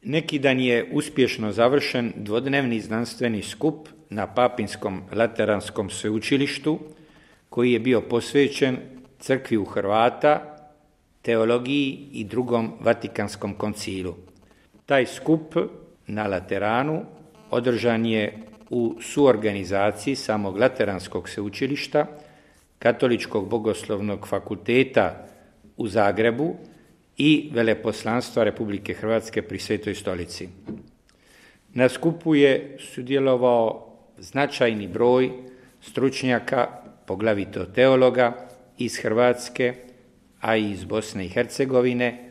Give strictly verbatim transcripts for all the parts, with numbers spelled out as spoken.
Neki dan je uspješno završen dvodnevni znanstveni skup na Papinskom Lateranskom sveučilištu koji je bio posvećen crkvi u Hrvata, teologiji i drugom Vatikanskom koncilu. Taj skup na Lateranu održan je u suorganizaciji samog Lateranskog sveučilišta, Katoličkog bogoslovnog fakulteta u Zagrebu i Veleposlanstva Republike Hrvatske pri Svetoj stolici. Na skupu je sudjelovao značajni broj stručnjaka, poglavito teologa iz Hrvatske, a i iz Bosne i Hercegovine.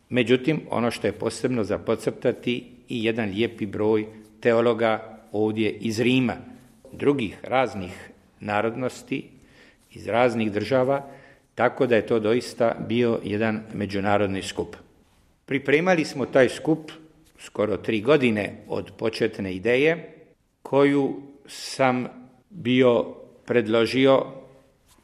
Međutim, ono što je posebno za podcrtati i jedan lijepi broj teologa ovdje iz Rima, drugih raznih narodnosti, iz raznih država, tako da je to doista bio jedan međunarodni skup. Pripremali smo taj skup skoro tri godine od početne ideje, koju sam bio predložio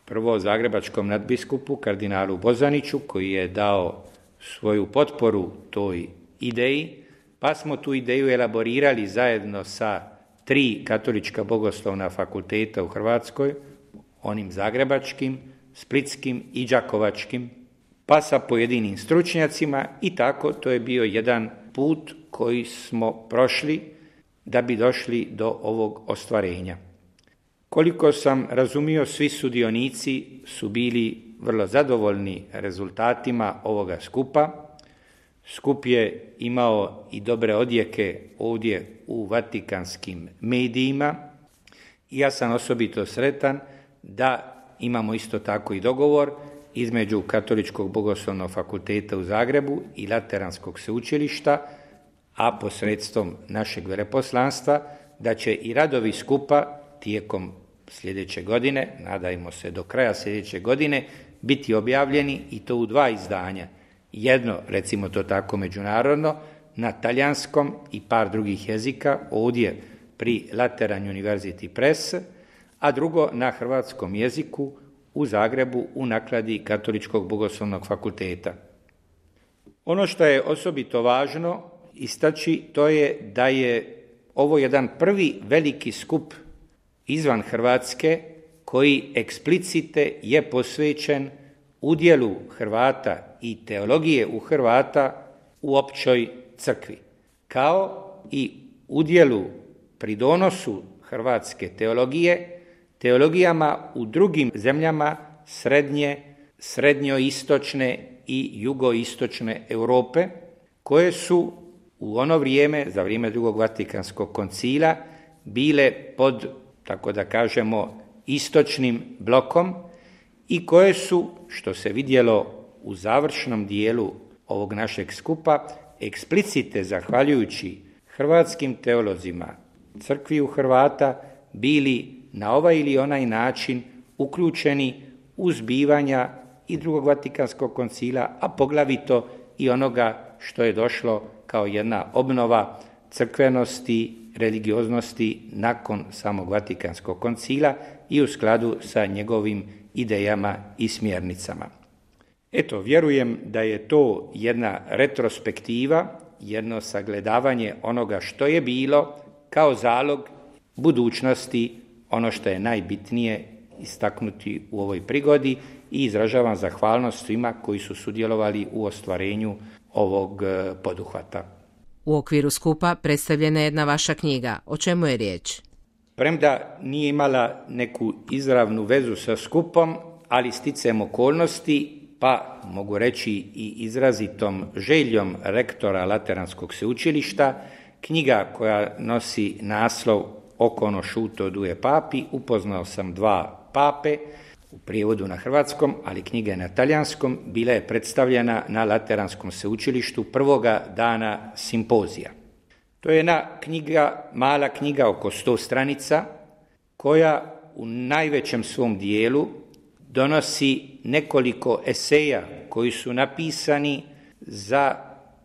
prvo zagrebačkom nadbiskupu kardinalu Bozaniću, koji je dao svoju potporu toj ideji, pa smo tu ideju elaborirali zajedno sa tri katolička bogoslovna fakulteta u Hrvatskoj, onim zagrebačkim, splitskim i đakovačkim, pa sa pojedinim stručnjacima i tako to je bio jedan put koji smo prošli da bi došli do ovog ostvarenja. Koliko sam razumio, svi sudionici su bili vrlo zadovoljni rezultatima ovoga skupa. Skup je imao i dobre odjeke ovdje u vatikanskim medijima i ja sam osobito sretan da imamo isto tako i dogovor između Katoličkog bogoslovnog fakulteta u Zagrebu i Lateranskog sveučilišta, a posredstvom našeg veleposlanstva, da će i radovi skupa tijekom sljedeće godine, nadajmo se do kraja sljedeće godine, biti objavljeni i to u dva izdanja. Jedno, recimo to tako međunarodno, na talijanskom i par drugih jezika, ovdje pri Lateran University Press, a drugo na hrvatskom jeziku u Zagrebu u nakladi Katoličkog bogoslovnog fakulteta. Ono što je osobito važno istaći, to je da je ovo jedan prvi veliki skup izvan Hrvatske koji eksplicite je posvećen udjelu Hrvata i teologije u Hrvata u općoj crkvi, kao i udjelu pridonosu hrvatske teologije teologijama u drugim zemljama srednje, srednjoistočne i jugoistočne Europe, koje su u ono vrijeme, za vrijeme drugog Vatikanskog koncila, bile pod, tako da kažemo, istočnim blokom i koje su, što se vidjelo u završnom dijelu ovog našeg skupa, eksplicite zahvaljujući hrvatskim teolozima, crkvi u Hrvata, bili na ovaj ili onaj način uključeni u zbivanja i drugog Vatikanskog koncila, a poglavito i onoga što je došlo kao jedna obnova crkvenosti, religioznosti nakon samog Vatikanskog koncila i u skladu sa njegovim idejama i smjernicama. Eto, vjerujem da je to jedna retrospektiva, jedno sagledavanje onoga što je bilo kao zalog budućnosti, ono što je najbitnije istaknuti u ovoj prigodi, i izražavam zahvalnost svima koji su sudjelovali u ostvarenju ovog poduhvata. U okviru skupa predstavljena je jedna vaša knjiga. O čemu je riječ? Premda nije imala neku izravnu vezu sa skupom, ali sticajem okolnosti, pa mogu reći i izrazitom željom rektora Lateranskog sveučilišta, knjiga koja nosi naslov Oko ono šuto duje papi, upoznao sam dva pape, u prijevodu na hrvatskom, ali knjiga je na talijanskom, bila je predstavljena na Lateranskom sveučilištu prvoga dana simpozija. To je jedna knjiga, mala knjiga oko sto stranica, koja u najvećem svom dijelu donosi nekoliko eseja koji su napisani za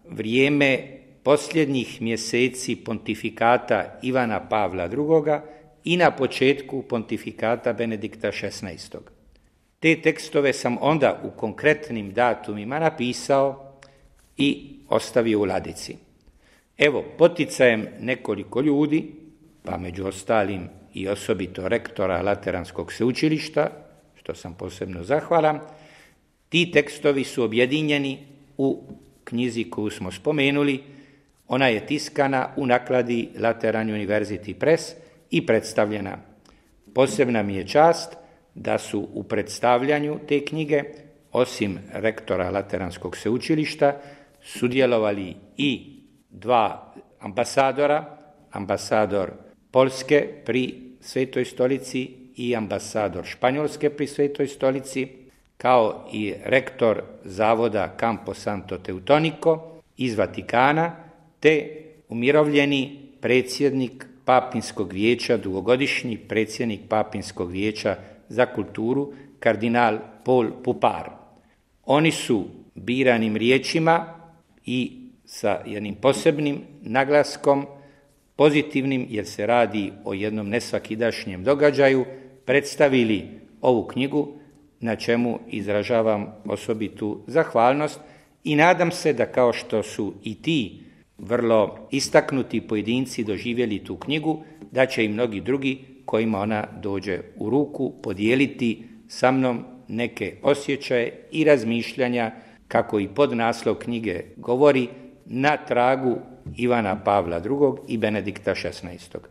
vrijeme posljednjih mjeseci pontifikata Ivana Pavla drugoga i na početku pontifikata Benedikta šesnaestog. Te tekstove sam onda u konkretnim datumima napisao i ostavio u ladici. Evo, poticajem nekoliko ljudi, pa među ostalim i osobito rektora Lateranskog sveučilišta, što sam posebno zahvalan, ti tekstovi su objedinjeni u knjizi koju smo spomenuli. Ona je tiskana u nakladi Lateran University Press i predstavljena. Posebna mi je čast da su u predstavljanju te knjige, osim rektora Lateranskog sveučilišta, sudjelovali i dva ambasadora, ambasador Poljske pri Svetoj stolici i ambasador Španjolske pri Svetoj stolici, kao i rektor zavoda Campo Santo Teutonico iz Vatikana, te umirovljeni predsjednik Papinskog vijeća, dugogodišnji predsjednik Papinskog vijeća za kulturu, kardinal Paul Pupar. Oni su biranim riječima i sa jednim posebnim naglaskom, pozitivnim jer se radi o jednom nesvakidašnjem događaju, predstavili ovu knjigu, na čemu izražavam osobitu zahvalnost i nadam se da kao što su i ti vrlo istaknuti pojedinci doživjeli tu knjigu, da će i mnogi drugi kojima ona dođe u ruku podijeliti sa mnom neke osjećaje i razmišljanja, kako i podnaslov knjige govori, na tragu Ivana Pavla drugog i Benedikta šesnaestog.